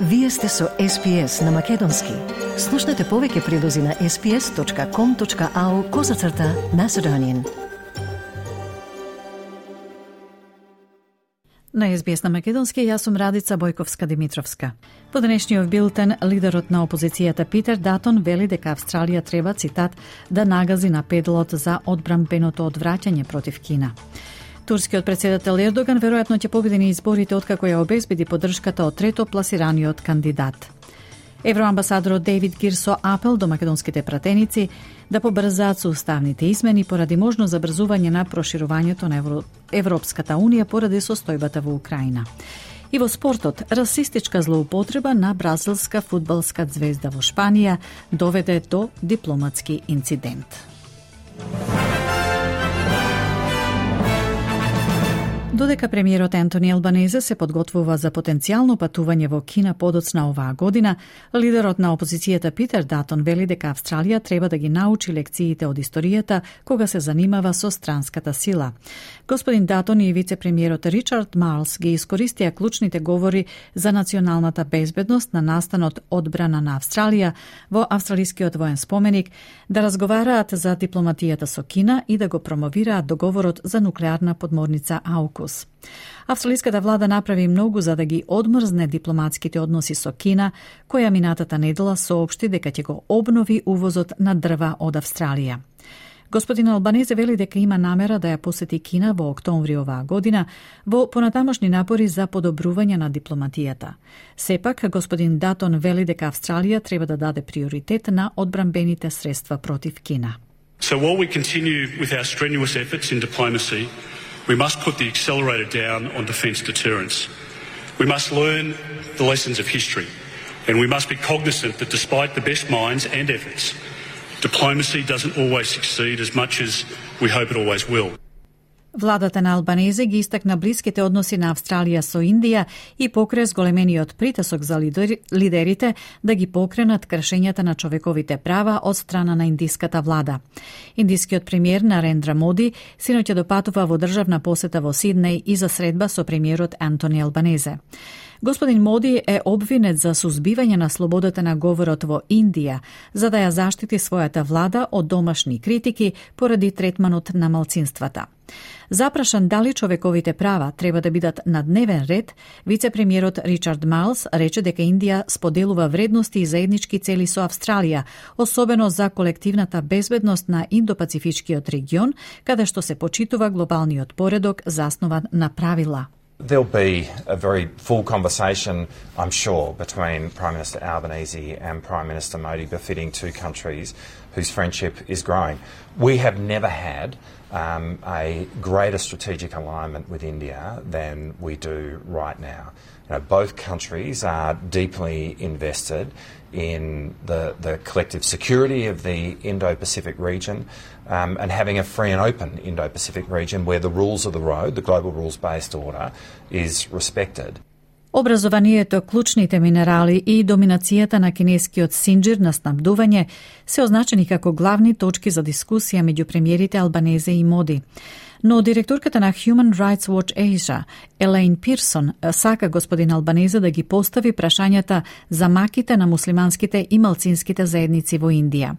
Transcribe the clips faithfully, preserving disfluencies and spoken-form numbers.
Вие сте со Ес Пи Ес на Македонски. Слушнете повеќе прилози на ес пи ес точка ком точка ау козацрта Macedonian. На Ес Би Ес на Македонски, јас сум Радица Бојковска-Димитровска. По денешниот билтен, лидерот на опозицијата Питер Датон вели дека Австралија треба, цитат, да нагази на педалот за одбранбеното одвраќање против Кина. Турскиот председател Ердоган веројатно ќе победи на изборите откако ја обезбеди поддршката од трето пласираниот кандидат. Евроамбасадорот Дейвид Гир со апел до македонските пратеници да побрзаат со уставните измени поради можно забрзување на проширувањето на Евро... Европската Унија поради состојбата во Украина. И во спортот, расистичка злоупотреба на бразилска фудбалска звезда во Шпанија доведе до дипломатски инцидент. Додека премиерот Антони Албанезе се подготвува за потенцијално патување во Кина подоцна оваа година, лидерот на опозицијата Питер Датон вели дека Австралија треба да ги научи лекциите од историјата кога се занимава со странската сила. Господин Датон и вице-премиерот Ричард Марлс ги искористија клучните говори за националната безбедност на настанот одбрана на Австралија во австралискиот воен споменик да разговараат за дипломатијата со Кина и да го промовираат договорот за нуклеарна подморница Аукус. Австралиската влада направи многу за да ги одмрзне дипломатските односи со Кина, која минатата недела соопшти дека ќе го обнови увозот на дрва од Австралија. Господин Албанезе вели дека има намера да ја посети Кина во октомври оваа година во понатамошни напори за подобрување на дипломатијата. Сепак, господин Датон вели дека Австралија треба да даде приоритет на одбранбените средства против Кина. So while we continue with our strenuous efforts in diplomacy, we must put the accelerator down on defence deterrence. We must learn the lessons of history, and we must be cognizant that despite the best minds and efforts, diplomacy doesn't always succeed as much as we hope it always will. Владата на Албанезе ги истакна блиските односи на Австралија со Индија и покре зголемениот притисок за лидерите да ги покренат кршењата на човековите права од страна на индиската влада. Индискиот премиер Нарендра Моди синоќа допатува во државна посета во Сиднеј и за средба со премиерот Антони Албанезе. Господин Моди е обвинет за сузбивање на слободата на говорот во Индија, за да ја заштити својата влада од домашни критики поради третманот на малцинствата. Запрашан дали човековите права треба да бидат на дневен ред, вице-премиерот Ричард Марлс рече дека Индија споделува вредности и заеднички цели со Австралија, особено за колективната безбедност на Индо-Пацифичкиот регион, каде што се почитува глобалниот поредок заснован на правила. There'll be a very full conversation, I'm sure, between Prime Minister Albanese and Prime Minister Modi, befitting two countries whose friendship is growing. We have never had um, a greater strategic alignment with India than we do right now. You know, both countries are deeply invested in the, the collective security of the Indo-Pacific region um, and having a free and open Indo-Pacific region where the rules of the road, the global rules-based order, is respected. Образованието, клучните минерали и доминацијата на кинескиот синџир на снабдување се означени како главни точки за дискусија меѓу премиерите Албанезе и Моди. Но директорката на Human Rights Watch Asia, Елейн Пирсон, сака господин Албанезе да ги постави прашањата за маките на муслиманските и малцинските заедници во Индија.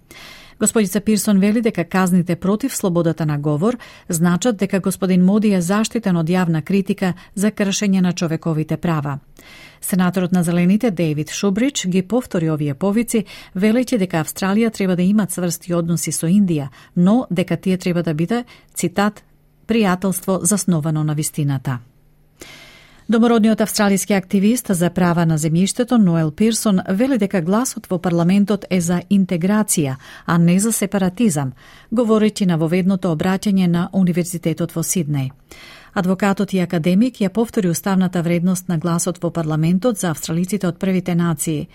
Господица Пирсон вели дека казните против слободата на говор значат дека господин Моди е заштитен од јавна критика за кршење на човековите права. Сенаторот на Зелените Дейвид Шубрич ги повтори овие повици, велејќи дека Австралија треба да има цврсти односи со Индија, но дека тие треба да биде, цитат, пријателство засновано на вистината. Домородниот австралиски активист за права на земјиштето Ноел Пирсон вели дека гласот во парламентот е за интеграција, а не за сепаратизам, говорејќи на воведното обраќање на Универзитетот во Сиднеј. Адвокатот и академик ја повтори уставната вредност на гласот во парламентот за австралиците од првите нации.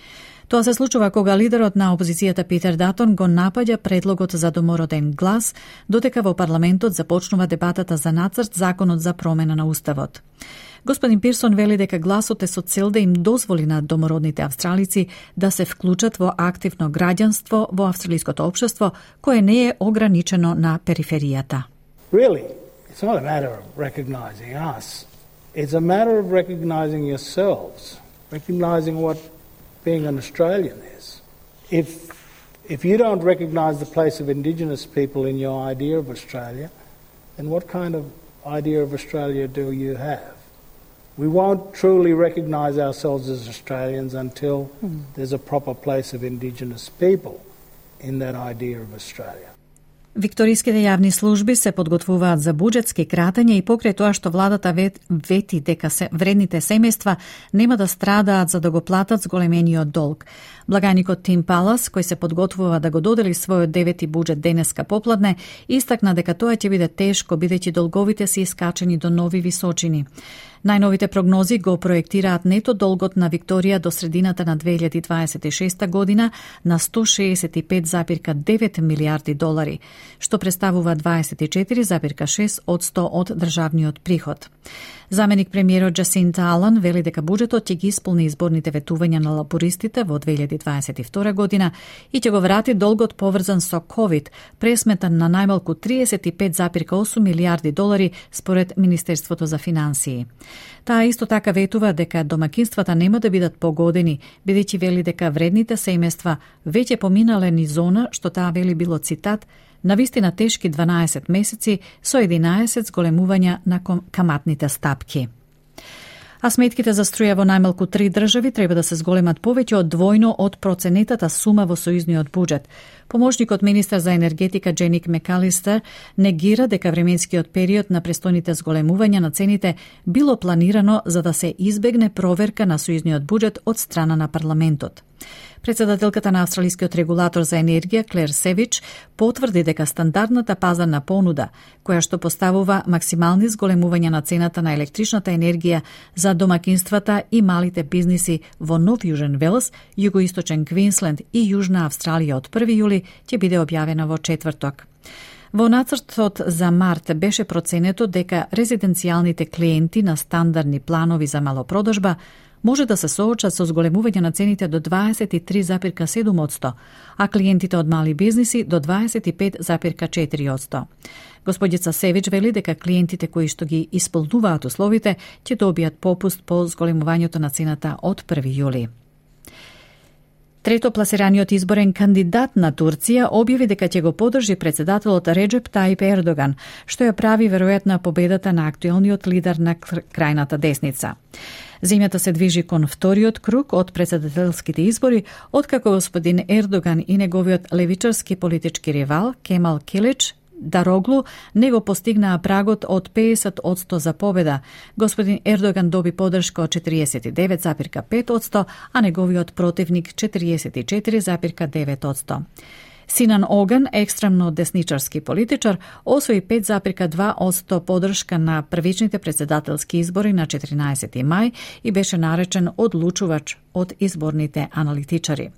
Тоа се случува кога лидерот на опозицијата Питер Датон го напаѓа предлогот за домороден глас, додека во парламентот започнува дебатата за нацрт законот за промена на уставот. Господин Пирсон вели дека гласот е со цел да им дозволи на домородните австралици да се вклучат во активно граѓанство во австралиското општество, кое не е ограничено на периферијата. Really, it's not a matter of recognizing us. It's a matter of recognizing yourselves recognising what being an Australian is. If if you don't recognise the place of Indigenous people in your idea of Australia, then what kind of idea of Australia do you have? We won't truly recognise ourselves as Australians until mm. there's a proper place of Indigenous people in that idea of Australia. Викториските јавни служби се подготвуваат за буџетски кратења и покрај тоа што владата вети дека се вредните семејства нема да страдаат за да го платат зголемениот долг. Благаникот Тим Палас, кој се подготвува да го додели својот девети буџет денеска попладне, истакна дека тоа ќе биде тешко бидејќи долговите се искачени до нови височини. Најновите прогнози го проектираат нето долгот на Викторија до средината на две илјади дваесет и шеста година на сто шеесет и пет зарез девет милијарди долари, што представува дваесет и четири зарез шест одсто од државниот приход. Заменик премиерот Джасинта Алан вели дека буџетот ќе ги исполни изборните ветувања на лабористите во две илјади дваесет и втора година и ќе го врати долгот поврзан со ковид, пресметан на најмалку триесет и пет зарез осум милијарди долари според Министерството за финансии. Таа исто така ветува дека домакинствата нема да бидат погодени, бидејќи вели дека вредните семејства веќе поминале низ зона што таа вели било цитат на вистина тешки дванаесет месеци со единаесет зголемувања на каматните стапки. А сметките за струја во најмалку три држави треба да се зголемат повеќе од двојно од проценетата сума во сојузниот буџет. Поможникот министар за енергетика Дженик Мекалистер негира дека временскиот период на престојните зголемувања на цените било планирано за да се избегне проверка на сојузниот буџет од страна на парламентот. Председателката на австралискиот регулатор за енергија Клер Севич потврди дека стандардната пазарна понуда, која што поставува максимални зголемувања на цената на електричната енергија за домакинствата и малите бизниси во Нов Јужен Велс, Југоисточен Квинсленд и Јужна Австралија од први јули ќе биде објавена во четврток. Во нацртот за март беше проценето дека резиденцијалните клиенти на стандардни планови за малопродажба може да се соочат со зголемување на цените до дваесет и три зарез седум одсто, а клиентите од мали бизниси до дваесет и пет зарез четири одсто. Господица Севич вели дека клиентите кои што ги исполнуваат условите ќе добијат попуст по зголемувањето на цената од први јули. Трето пласираниот изборен кандидат на Турција објави дека ќе го подржи председателот Реджеп Таип Ердоган, што ја прави веројатна победата на актуелниот лидер на крајната десница. Земјата се движи кон вториот круг од председателските избори, откако господин Ердоган и неговиот левичарски политички ривал Кемал Килич Дароглу не го постигнаа прагот од педесет одсто за победа. Господин Ердоган доби подршка од четириесет и девет зарез пет одсто, а неговиот противник четириесет и четири зарез девет одсто. Синан Оган, екстремно десничарски политичар, освои пет зарез два одсто подршка на првичните председателски избори на четиринаесети мај и беше наречен одлучувач од изборните аналитичари.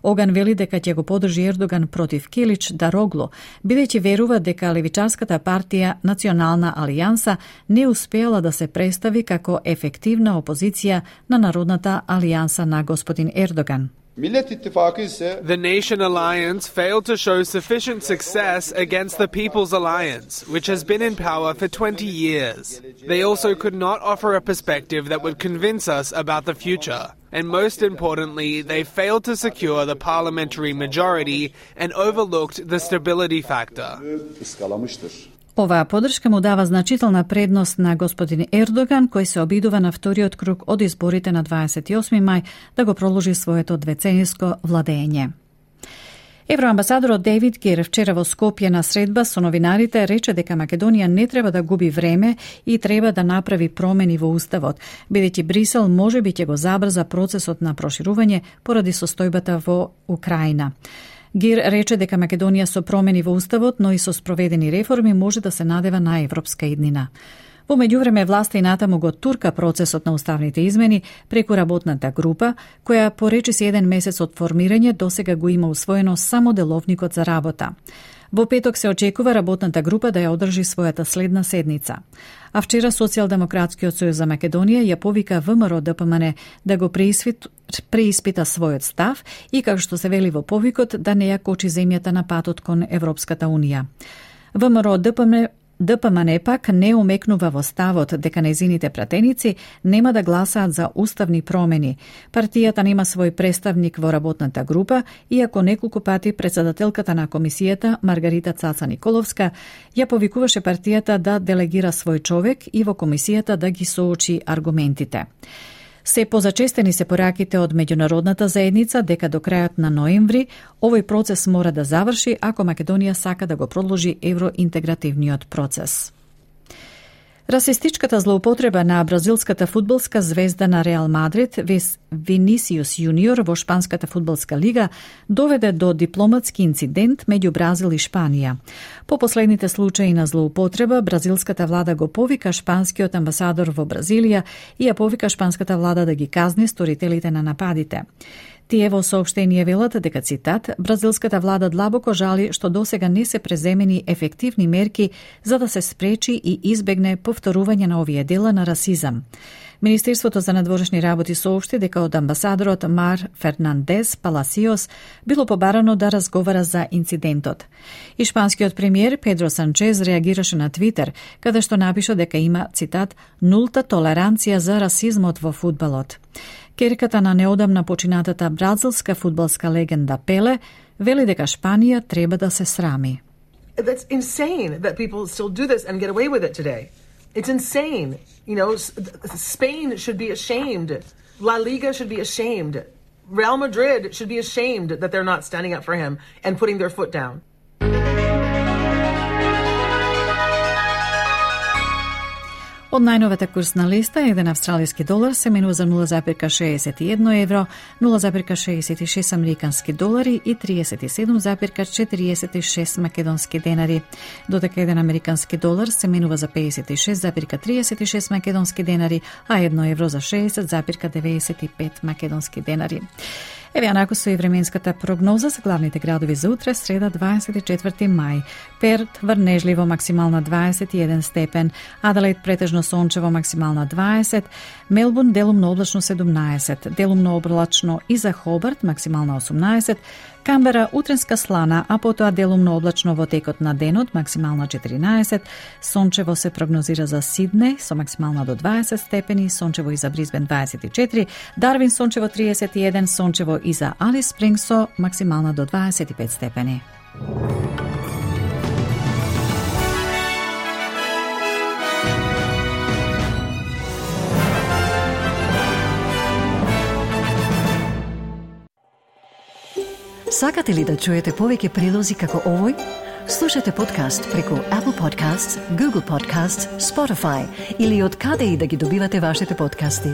Оган вели дека ќе го подржи Ердоган против Килич Дароглу, бидејќи верува дека левичарската партија Национална алијанса не успеала да се представи како ефективна опозиција на Народната алијанса на господин Ердоган. The Nation Alliance failed to show sufficient success against the People's Alliance, which has been in power for twenty years. They also could not offer a perspective that would convince us about the future. And most importantly, they failed to secure the parliamentary majority and overlooked the stability factor. Оваа подршка му дава значителна предност на господин Ердоган, кој се обидува на вториот круг од изборите на дваесет и осми мај да го проложи своето двецениско владење. Евроамбасадорот Дейвид Гир вчера во Скопје на средба со новинарите рече дека Македонија не треба да губи време и треба да направи промени во уставот, бидејќи Брисел можеби ќе го забрза процесот на проширување поради состојбата во Украина. Гир рече дека Македонија со промени во уставот, но и со спроведени реформи може да се надева на европска иднина. Во меѓувреме власта и натаму го турка процесот на уставните измени преку работната група, која по речиси еден месец од формирање досега го има усвоено само деловникот за работа. Во петок се очекува работната група да ја одржи својата следна седница. А вчера Социјалдемократскиот сојуз за Македонија ја повика ВМРО Д П М Н да го преиспит, преиспита својот став и, како што се вели во повикот, да не ја кочи земјата на патот кон Европската унија. ВМРО Д П М Н Д П М Н пак не умекнува во ставот дека нејзините пратеници нема да гласаат за уставни промени. Партијата нема свој представник во работната група, иако неколку пати председателката на комисијата Маргарита Цаца Николовска ја повикуваше партијата да делегира свој човек и во комисијата да ги соочи аргументите. Се позачестени се пораките од меѓународната заедница дека до крајот на ноември овој процес мора да заврши ако Македонија сака да го продолжи евроинтегративниот процес. Расистичката злоупотреба на бразилската фудбалска звезда на Реал Мадрид, Винисиус Јуниор во Шпанската фудбалска лига доведе до дипломатски инцидент меѓу Бразил и Шпанија. По последните случаи на злоупотреба, бразилската влада го повика шпанскиот амбасадор во Бразилија и ја повика шпанската влада да ги казни сторителите на нападите. Тие во соопштение велат дека, цитат, бразилската влада длабоко жали што досега не се преземени ефективни мерки за да се спречи и избегне повторување на овие дела на расизам. Министерството за надворешни работи соопшти дека од амбасадорот Мар Фернандес Паласиос било побарано да разговара за инцидентот. И шпанскиот премиер Педро Санчез реагираше на Твитер, каде што напиша дека има, цитат, нулта толеранција за расизмот во фудбалот. Керката на неодамна починатата бразилска фудбалска легенда Пеле вели дека Шпанија треба да се срами. That's insane that people still do this and get away with it today. It's insane. You know, Spain should be ashamed. La Liga should be ashamed. Real Madrid should be ashamed that they're not standing up for him and putting their foot down. Од најновата курсна листа, еден австралиски долар се менува за нула зарез шеесет и едно евро, нула зарез шеесет и шест американски долари и триесет и седум зарез четириесет и шест македонски денари. Додека еден американски долар се менува за пеесет и шест зарез триесет и шест македонски денари, а едно евро за шеесет зарез деветдесет и пет македонски денари. Еве анако со и временската прогноза за главните градови за утре, среда дваесет и четврти мај. Перт врнежливо максимална дваесет и еден степен, Аделаид претежно сончево максимална дваесет, Мелбурн делумно облачно седумнаесет, делумно облачно и за Хобарт максимална осумнаесет, Камбера утренска слана, а потоа делумно облачно во текот на денот максимална четиринаесет, сончево се прогнозира за Сиднеј со максимална до дваесет степени, сончево и за Брисбен дваесет и четири, Дарвин сончево триесет и еден, сончево и за Алис Спрингс со максимална до дваесет и пет степени. Сакате ли да чуете повеќе прилози како овој? Слушате подкаст преку Apple Podcasts, Google Podcasts, Spotify или од каде и да ги добивате вашите подкасти.